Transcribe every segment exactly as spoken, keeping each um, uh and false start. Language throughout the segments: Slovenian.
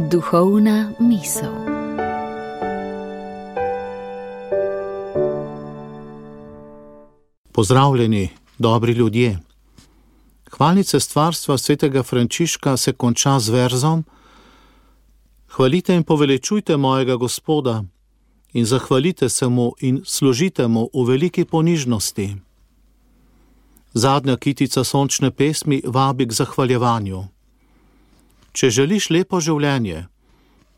Duhovna misel. Pozdravljeni, dobri ljudje. Hvalnice stvarstva svetega Frančiška se konča z verzom: Hvalite in poveličujte mojega Gospoda in zahvalite se mu in služite mu v veliki ponižnosti. Zadnja kitica sončne pesmi vabi k zahvaljevanju. Če želiš lepo življenje,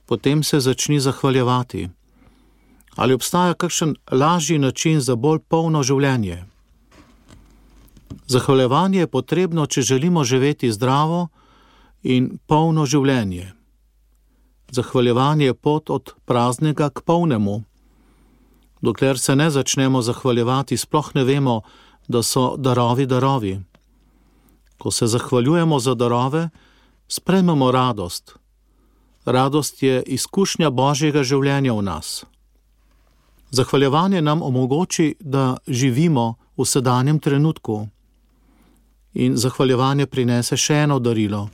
potem se začni zahvaljevati. Ali obstaja kakšen lažji način za bolj polno življenje? Zahvaljevanje je potrebno, če želimo živeti zdravo in polno življenje. Zahvaljevanje je pot od praznega k polnemu. Dokler se ne začnemo zahvaljevati, sploh ne vemo, da so darovi darovi. Ko se zahvaljujemo za darove, sprejmemo radost. Radost je izkušnja Božjega življenja v nas. Zahvaljevanje nam omogoči, da živimo v sedanjem trenutku. In zahvaljevanje prinese še eno darilo.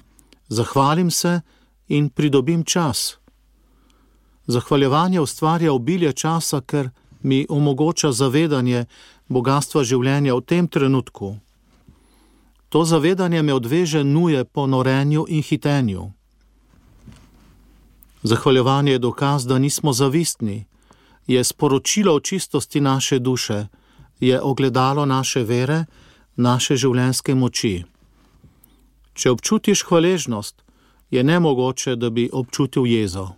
Zahvalim se in pridobim čas. Zahvaljevanje ustvarja obilje časa, ker mi omogoča zavedanje bogastva življenja v tem trenutku. To zavedanje me odveže nuje po norenju in hitenju. Zahvaljevanje je dokaz, da nismo zavistni, je sporočilo o čistosti naše duše, je ogledalo naše vere, naše življenjske moči. Če občutiš hvaležnost, je nemogoče, da bi občutil jezo.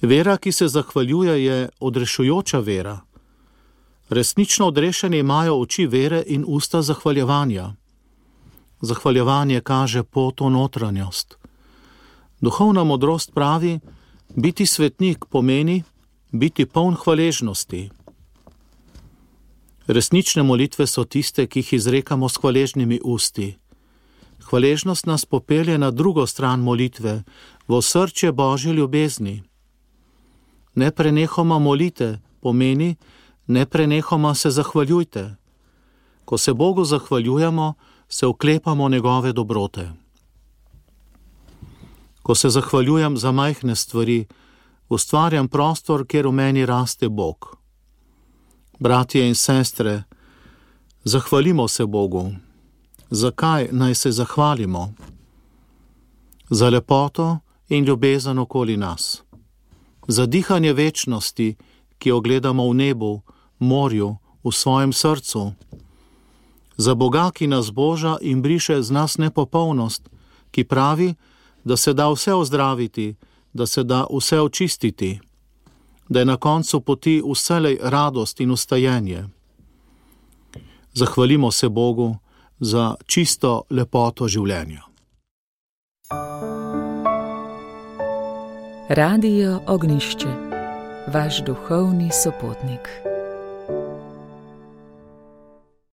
Vera, ki se zahvaljuje, je odrešujoča vera. Resnično odrešeni imajo oči vere in usta zahvaljevanja. Zahvaljevanje kaže pot v notranjost. Duhovna modrost pravi, biti svetnik pomeni biti poln hvaležnosti. Resnične molitve so tiste, ki jih izrekamo s hvaležnimi usti. Hvaležnost nas popelje na drugo stran molitve, v osrčje Božje ljubezni. Neprenehoma molite pomeni, neprenehoma se zahvaljujte. Ko se Bogu zahvaljujemo, se oklepamo njegove dobrote. Ko se zahvaljujem za majhne stvari, ustvarjam prostor, kjer v meni raste Bog. Bratje in sestre, zahvalimo se Bogu. Zakaj naj se zahvalimo? Za lepoto in ljubezen okoli nas. Za dihanje večnosti, ki jo gledamo v nebu, morju, v svojem srcu. Za Boga, ki nas boža in briše z nas nepopolnost, ki pravi, da se da vse ozdraviti, da se da vse očistiti, da je na koncu poti vselej radost in ustajenje. Zahvalimo se Bogu za čisto lepoto življenja. Radio Ognjišče, vaš duhovni sopotnik.